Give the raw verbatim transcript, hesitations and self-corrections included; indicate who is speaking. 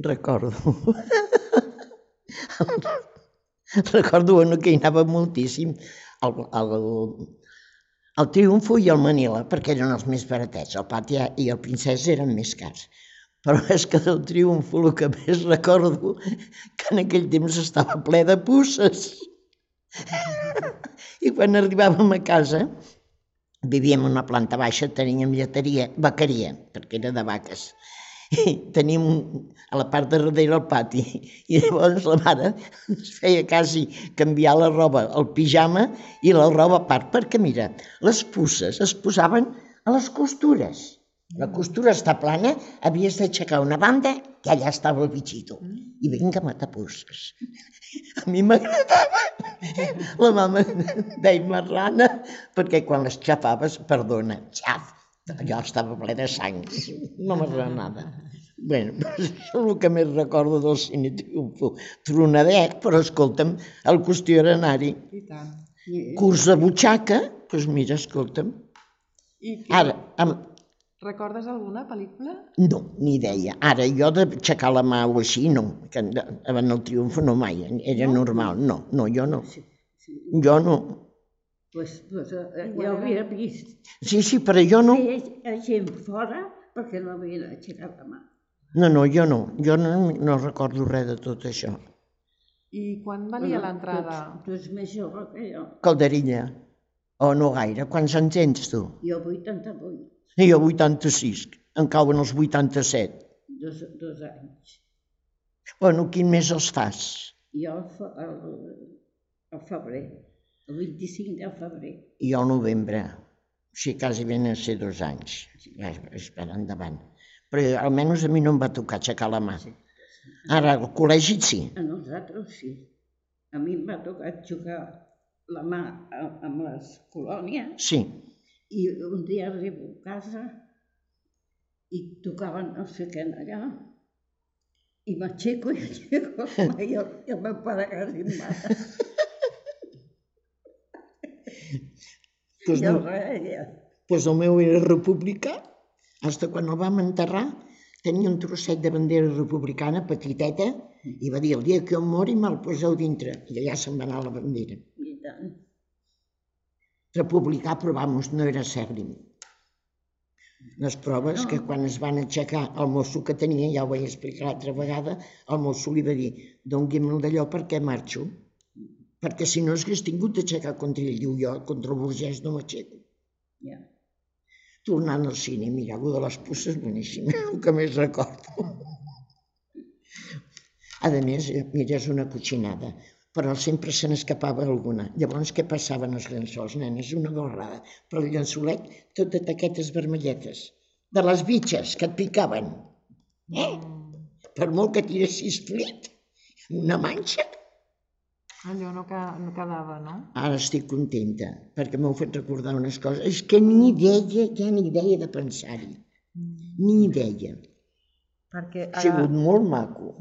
Speaker 1: recordo. Recordo que hi anava moltíssim al Triomfo i al Manila, perquè eren els més baratets. El Pati i el Princesa eren més cars. Però és que del Triomfo el que més recordo que en aquell temps estava ple de puces. I quan arribàvem a casa, vivíem en una planta baixa, teníem lleteria, vaqueria, perquè era de vaques. I teníem a la part de darrere el pati. I llavors la mare ens feia quasi canviar la roba, el pijama i la roba a part, perquè mira, les puces es posaven a les costures. La costura està plana, havies d'aixecar una banda i allà estava el bitxito. I vinga a matar puces. A mi m'agradava. La mama deia marrana, perquè quan les xafaves, perdona, xaf, allò estava ple de sang. No m'agradava. Bé, això és el que més recordo del Cine Triomfo. Tronadet, però escolta'm, el qüestió era anar-hi.
Speaker 2: I tant.
Speaker 1: Curs de butxaca, doncs mira, escolta'm. Ara, amb...
Speaker 2: Recordes alguna pel·lícula?
Speaker 1: No, ni idea. Ara, jo d'aixecar la mà o així, no. En el Triomfo no mai, era normal. No, no, jo no. Jo no.
Speaker 3: Doncs jo havia vist.
Speaker 1: Sí, sí, però jo no.
Speaker 3: Feia gent fora perquè no havien aixecat la mà.
Speaker 1: No, no, jo no. Jo no recordo res de tot això.
Speaker 2: I quan valia l'entrada?
Speaker 3: Tu ets més jove que jo.
Speaker 1: Calderilla. O no gaire. Quants anys tens tu?
Speaker 3: Jo vuitanta-vuit.
Speaker 1: I jo vuitanta-sis. Em cauen els vuitanta-set.
Speaker 3: Dos, dos anys.
Speaker 1: Bueno, quin mes els fas?
Speaker 3: Jo al febrer, el vint-i-cinc de febrer.
Speaker 1: I jo al novembre. Així quasi ben a ser dos anys. Espera, endavant. Però almenys a mi no em va tocar aixecar la mà. Ara, al col·legi sí.
Speaker 3: A nosaltres sí. A mi em va tocar aixecar la mà amb les colònies.
Speaker 1: Sí.
Speaker 3: I un dia arribo a casa i tocaven no sé què allà i m'aixeco i aixeco la mà i el meu pare quasi em mata. I el reia.
Speaker 1: Doncs el meu era republicà. Fins quan el vam enterrar tenia un trosset de bandera republicana petiteta i va dir el dia que em mori me'l poseu dintre. I allà se'n va anar la bandera.
Speaker 3: I tant.
Speaker 1: Republicà, però vamos, no era sèrrim. Les proves que quan es van aixecar el mosso que tenia, ja ho vaig explicar l'altra vegada, el mosso li va dir doni'm d'allò perquè marxo, perquè si no hagués tingut d'aixecar contra ell, diu jo, contra el burgès no m'aixeco. Tornant al cine, mira, allò de les puces, boníssim, el que més recordo. A més, mira, és una cotxinada, però sempre se n'escapava alguna. Llavors, què passaven els llençols, nenes? Una gorrada. Però el llençolet, tot de taquetes vermelletes. De les bitxes que et picaven. Eh? Per molt que tiressis flit, una manxa.
Speaker 2: Allò no quedava, no?
Speaker 1: Ara estic contenta, perquè m'heu fet recordar unes coses. És que ni idea, ja ni idea de pensar-hi. Ni idea. Ha sigut molt maco.